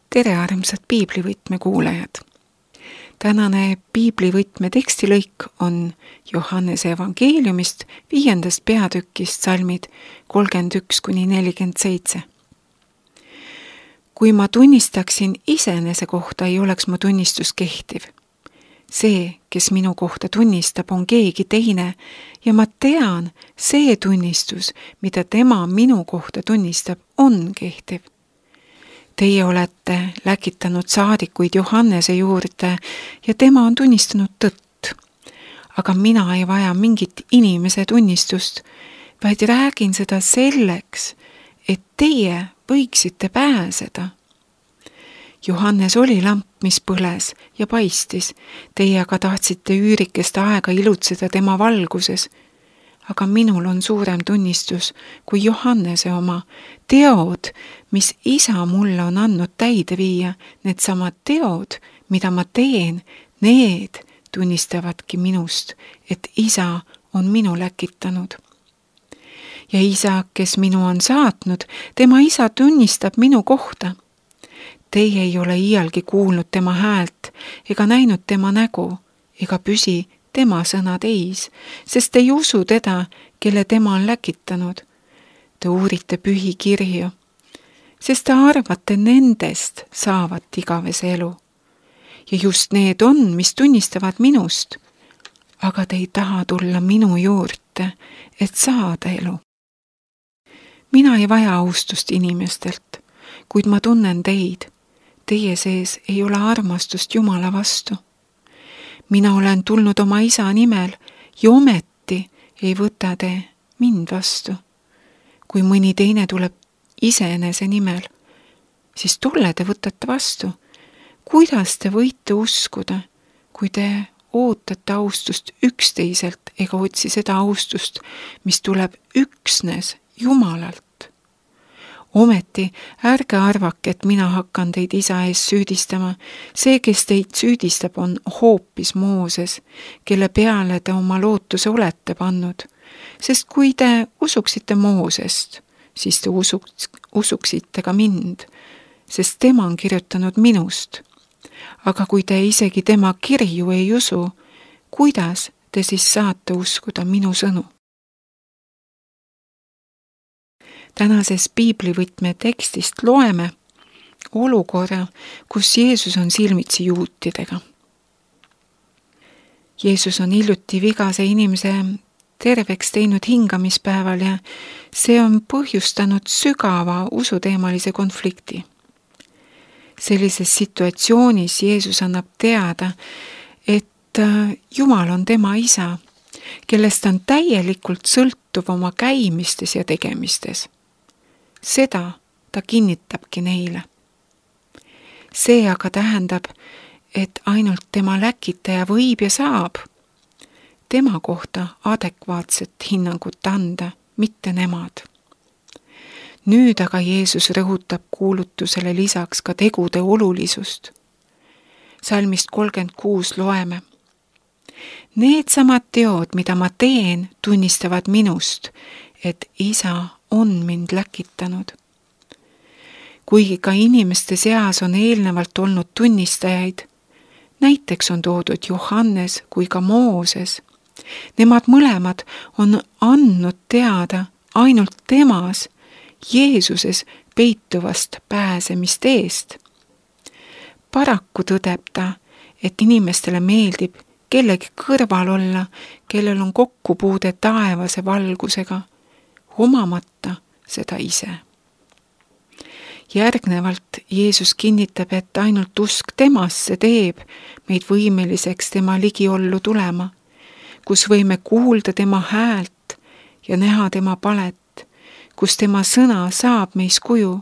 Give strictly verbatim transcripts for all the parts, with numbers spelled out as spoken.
Tere armsad piiblivõtme kuulajad! Tänane piiblivõtme tekstilõik on Johannese evangeeliumist viiendast peatükist salmid kolmkümmend üks kuni nelikümmend seitse. Kui ma tunnistaksin iseenese kohta, ei oleks mu tunnistus kehtiv. See, kes minu kohta tunnistab, on keegi teine ja ma tean, see tunnistus, mida tema minu kohta tunnistab, on kehtiv. Teie olete läkitanud saadikuid Johannese juurde ja tema on tunnistanud tõtt. Aga mina ei vaja mingit inimese tunnistust, vaid räägin seda selleks, et teie võiksite pääseda. Johannes oli lamp, mis põles ja paistis, teie aga tahtsite üürikest aega ilutseda tema valguses. Aga minul on suurem tunnistus kui Johannese oma. Teod, mis isa mulle on andnud täide viia, need samad teod, mida ma teen, need tunnistavadki minust, et isa on minu läkitanud. Ja isa, kes minu on saatnud, tema isa tunnistab minu kohta. Teie ei ole iialgi kuulnud tema häält ega näinud tema nägu ega püsi tema sõnad eis, sest ei usu teda, kelle tema on läkitanud. Te uurite pühi kirju, sest te arvate nendest saavat igavese elu. Ja just need on, mis tunnistavad minust, aga te ei taha tulla minu juurde, et saada elu. Mina ei vaja austust inimestelt, kuid ma tunnen teid. Teie sees ei ole armastust Jumala vastu. Mina olen tulnud oma isa nimel ja ometi ei võta te mind vastu. Kui mõni teine tuleb iseenese nimel, siis tolle te võtate vastu. Kuidas te võite uskuda, kui te ootate austust üksteiselt ega otsi seda austust, mis tuleb üksnes Jumalalt? Ometi ärge arvake, et mina hakkan teid isa ees süüdistama. See, kes teid süüdistab, on hoopis Mooses, kelle peale te oma lootuse olete pannud. Sest kui te usuksite Moosest, siis te usuks, usuksite ka mind, sest tema on kirjutanud minust. Aga kui te isegi tema kirju ei usu, kuidas te siis saate uskuda minu sõnu? Tänases piiblivõtme tekstist loeme olukorra, kus Jeesus on silmitsi juutidega. Jeesus on hiljuti vigase inimese terveks teinud hingamispäeval ja see on põhjustanud sügava usuteemalise konflikti. Sellises situatsioonis Jeesus annab teada, et Jumal on tema isa, kellest on täielikult sõltuv oma käimistes ja tegemistes. Seda ta kinnitabki neile. See aga tähendab, et ainult tema läkitaja võib ja saab tema kohta adekvaatset hinnangut anda, mitte nemad. Nüüd aga Jeesus rõhutab kuulutusele lisaks ka tegude olulisust. Salmist kolmkümmend kuus loeme. Need samad teod, mida ma teen, tunnistavad minust, et isa on mind läkitanud. Kuigi ka inimeste seas on eelnevalt olnud tunnistajaid, näiteks on toodud Johannes kui ka Mooses, nemad mõlemad on andnud teada ainult temas, Jeesuses peituvast pääsemist eest. Paraku tõdeb ta, et inimestele meeldib kellegi kõrval olla, kellel on kokkupuude taevase valgusega, omamata seda ise. Järgnevalt Jeesus kinnitab, et ainult usk temasse teeb meid võimeliseks tema ligiollu tulema, kus võime kuulda tema häält ja näha tema palet, kus tema sõna saab meis kuju.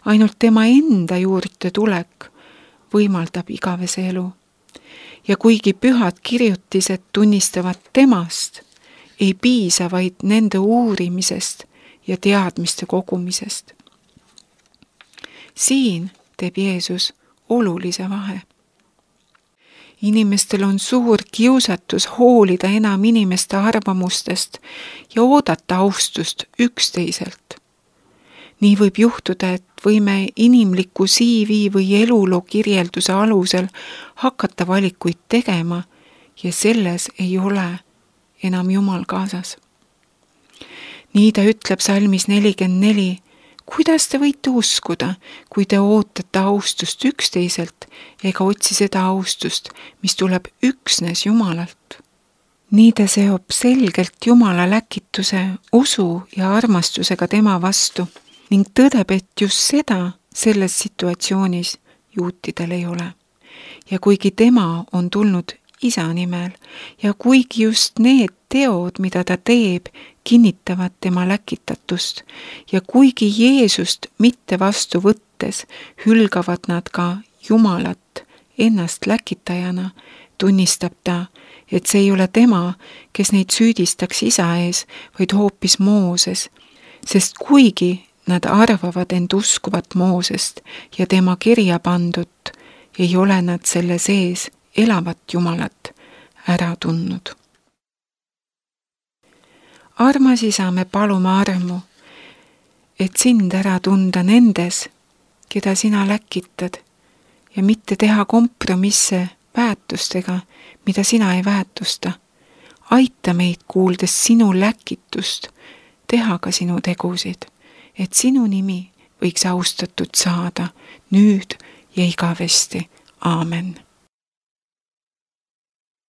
Ainult tema enda juurde tulek võimaldab igavese elu. Ja kuigi pühad kirjutised tunnistavad temast, ei piisa vaid nende uurimisest ja teadmiste kogumisest. Siin teeb Jeesus olulise vahe. Inimestel on suur kiusatus hoolida enam inimeste arvamustest ja oodata austust üksteiselt. nii võib juhtuda, et võime inimliku C V või eluloo kirjelduse alusel hakata valikuid tegema ja selles ei ole enam Jumal kaasas. Nii ta ütleb salmis nelikümmend neli, kuidas te võite uskuda, kui te ootate austust üksteiselt ega otsi seda austust, mis tuleb üksnes Jumalalt. Nii ta seob selgelt Jumala läkituse, usu ja armastusega tema vastu ning tõdeb, et just seda selles situatsioonis juutidel ei ole. Ja kuigi tema on tulnud Isa nimel ja kuigi just need teod, mida ta teeb, kinnitavad tema läkitatust ja kuigi Jeesust mitte vastu võttes hülgavad nad ka Jumalat ennast läkitajana, tunnistab ta, et see ei ole tema, kes neid süüdistaks Isa ees, vaid hoopis Mooses, sest kuigi nad arvavad end uskuvat Moosest ja tema kirja pandut, ei ole nad selle sees elavat Jumalat ära tundnud. Armas Isa, me palume armu, et sind ära tunda nendes, keda sina läkitad ja mitte teha kompromisse väärtustega, mida sina ei väärtusta. Aita meid kuuldes sinu läkitust, teha ka sinu tegusid, et sinu nimi võiks austatud saada nüüd ja igavesti. Aamen.